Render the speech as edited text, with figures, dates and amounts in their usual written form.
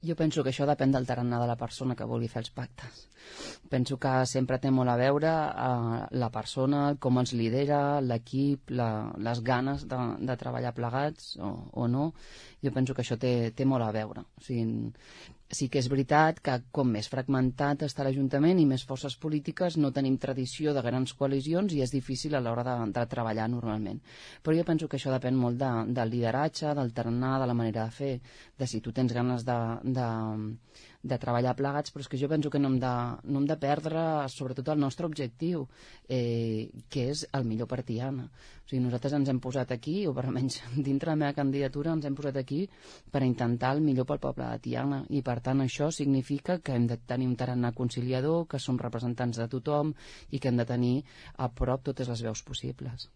Jo penso que això depèn del tarannà de la persona que vulgui fer els pactes. Penso que sempre té molt a veure la persona, com ens lidera, l'equip, les ganes de treballar plegats o no. Jo penso que això té molt a veure. O sigui, sí que és veritat que com més fragmentat està l'Ajuntament i més forces polítiques no tenim tradició de grans coalicions i és difícil a l'hora de treballar normalment. Però jo penso que això depèn molt del lideratge, del tarannà, de la manera de fer, de si tu tens ganes de treballar plegats, però és que jo penso que no hem de perdre sobretot el nostre objectiu, que és el millor per Tiana. O sigui, nosaltres ens hem posat aquí, o per almenys dintre la meva candidatura ens hem posat aquí per intentar el millor pel poble de Tiana, i per tant això significa que hem de tenir un tarannà conciliador, que som representants de tothom i que hem de tenir a prop totes les veus possibles.